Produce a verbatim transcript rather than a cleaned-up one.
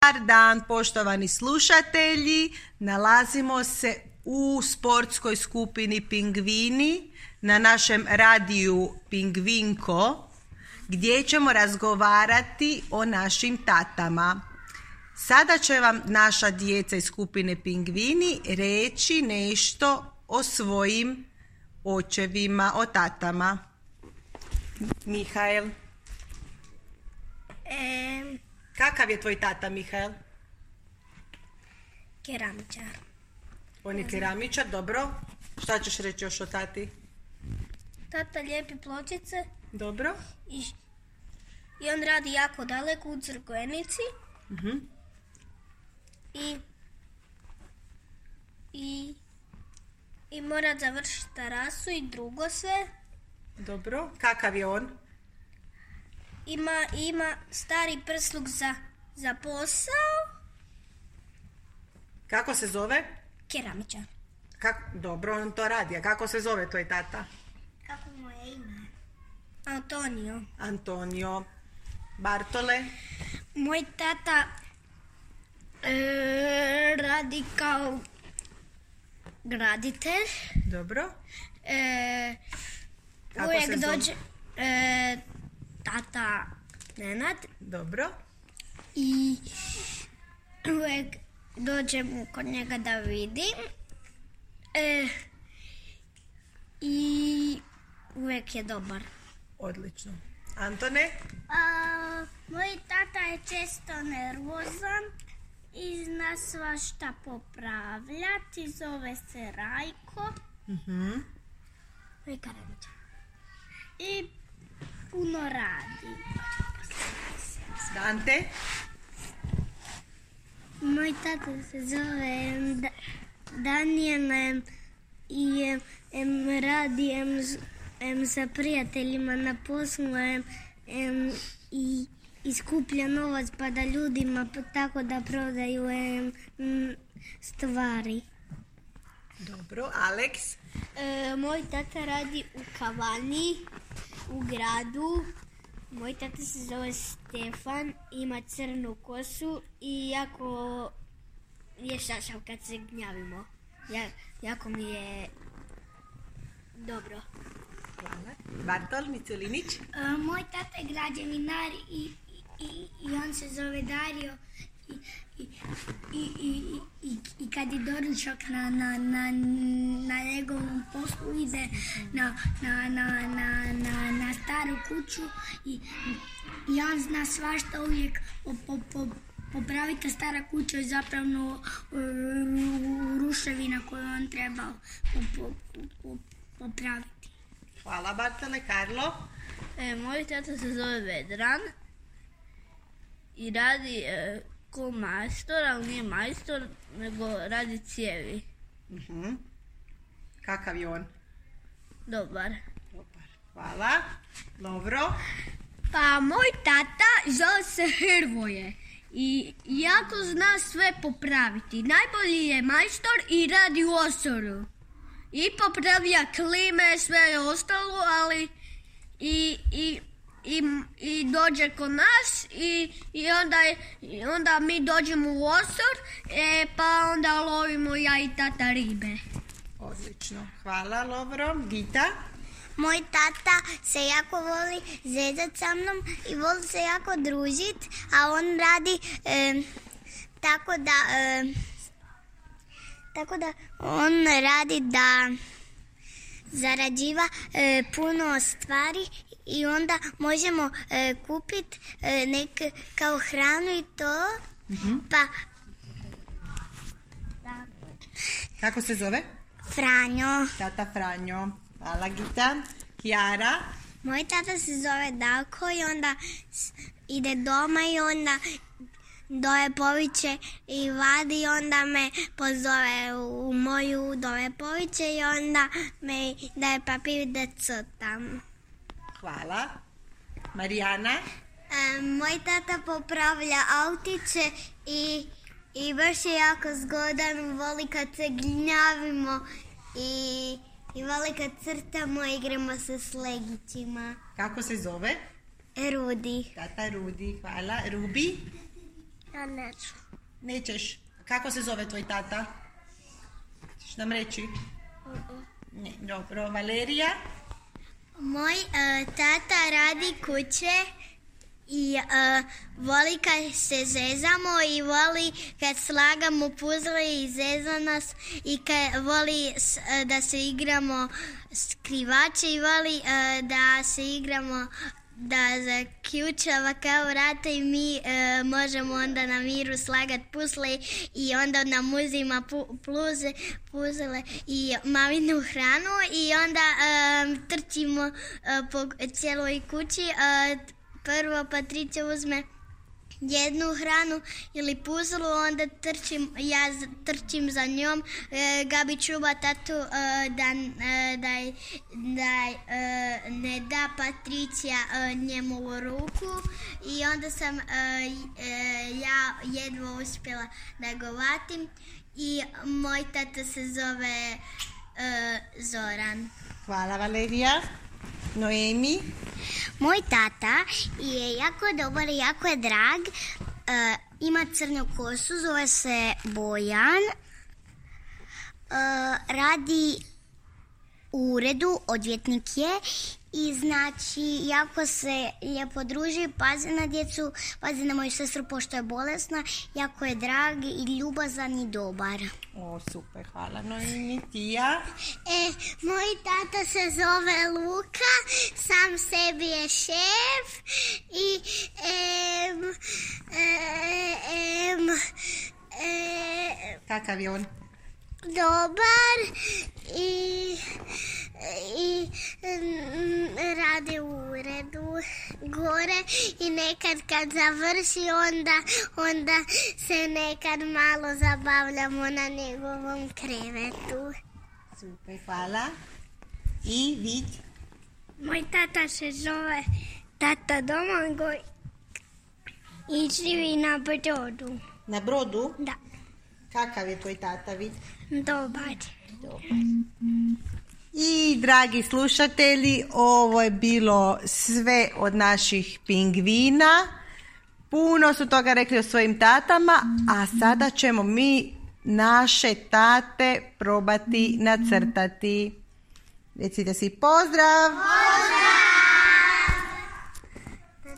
Dobar dan, poštovani slušatelji. Nalazimo se u sportskoj skupini Pingvini na našem radiju Pingvinko gdje ćemo razgovarati o našim tatama. Sada će vam naša djeca iz skupine Pingvini reći nešto o svojim očevima, o tatama. Mihael. E... Kakav je tvoj tata, Mihael? Keramičar. On je keramičar, dobro. Šta ćeš reći još o tati? Tata lijepi pločice. Dobro. I, i on radi jako daleko u Crkvenici. Uh-huh. I, i, i mora završiti terasu i drugo sve. Dobro. Kakav je on? Ima, ima stari prsluk za, za posao. Kako se zove? Keramičar. Kako? Dobro, on to radi. A kako se zove tvoj tata? Kako mu je ime? Antonio. Antonio. Bartole? Moj tata e, radi kao graditelj. Dobro. E, Kako uvijek se zove? dođe e, tata Nenad. Dobro. I uvijek dođem kod njega da vidim. E, I uvijek je dobar. Odlično. Antone? A, moj tata je često nervozan i zna svašta popravljati. Zove se Rajko. Uh-huh. I puno radi. Dante? Moj tata se zove da, Daniel em, i em, em, radi em, em, sa prijateljima na poslu em, em, i, i skuplja novac pa da ljudima tako da prodaju em, m, stvari. Dobro. Alex? E, moj tata radi u kavani, u gradu. Moj tata se zove Stefan, ima crnu kosu i jako je šašav kad se gnjavimo. Ja, jako mi je dobro. Hvala. Bartol Micelinić? E, moj tata je građevinar i, i, i on se zove Dario. I, i, i, i, i, i kad je doručak na, na, na, na njegovom poslu ide na, na, na, na, na, na staru kuću i, i on zna svašta uvijek po, po, po, popraviti. Stara kuća je zapravo ruševina koju on treba po, po, po, popraviti. Hvala Bartole. Karlo? E, moj tata se zove Vedran i radi e, ko majstor, ali nije majstor, nego radi cijevi. Uh-huh. Kakav je on? Dobar. Dobar. Hvala. Dobro. Pa moj tata zove se Hrvoje i jako zna sve popraviti. Najbolji je majstor i radi u Osoru. I popravlja klime, sve ostalo, ali i... i I, i dođe kod nas i, i, onda, i onda mi dođemo u Osor, e, pa onda lovimo ja i tata ribe. Odlično. Hvala, Lovro. Gita? Moj tata se jako voli zezat sa mnom i voli se jako družit, a on radi e, tako da e, tako da on radi da zarađiva e, puno stvari i onda možemo e, kupiti e, nek kao hranu i to. Mm-hmm. Pa kako se zove? Franjo. Tata Franjo. Hvala Gita. Kijara? Moj tata se zove Dalko i onda ide doma i onda doje poviće i vadi i onda me pozove u moju doje poviće i onda me daje papir da crtam. Hvala. Marijana? E, moj tata popravlja autiće i, i baš je jako zgodan, voli kad se gnjavimo i, i voli kad crtamo i igramo se s legićima. Kako se zove? Rudi. Tata Rudi. Hvala. Rubi? Ja neću. Nećeš. Kako se zove tvoj tata? Ćeš nam reći? Ne, dobro. Valerija? Moj uh, tata radi kuće i uh, voli kad se zezamo i voli kad slagamo puzle i zeza nas i kad voli s, uh, da se igramo skrivače i voli uh, da se igramo da zaključava kao vrata i mi uh, možemo onda na miru slagati puzle i onda nam uzima pu, pluze, puzle i maminu hranu i onda uh, trčimo uh, po cijeloj kući. Uh, prvo Patricija uzme jednu hranu ili puzlu, onda trčim, ja trčim za njom, e, Gabi čuva tatu e, da, e, da, da e, ne da Patricija e, njemu u ruku i onda sam e, e, ja jedva uspjela da ga vatim i moj tata se zove e, Zoran. Hvala Valerija. Noemi? Moj tata je jako dobar i jako je drag. Uh, ima crnu kosu, zove se Bojan. Uh, radi u uredu, odvjetnik je i znači jako se lijepo druži, pazi na djecu, pazi na moju sestru pošto je bolesna, jako je drag i ljubazan i dobar. O, super, hvala. Noemi, Tija? E, moj tata se zove Luka, sam sebi je šef i em, em, em, Kakav je on? dobar i, i mm, radi u uredu gore i nekad kad završi onda, onda se nekad malo zabavljamo na njegovom krevetu. Super, hvala. I vid? Moj tata se zove Tata Domagoj i živi na Brodu. Na Brodu? Da, Kakav je tvoj tata, vid? dobar. I dragi slušatelji, ovo je bilo sve od naših pingvina. Puno su toga rekli o svojim tatama, a sada ćemo mi naše tate probati nacrtati. Recite si pozdrav!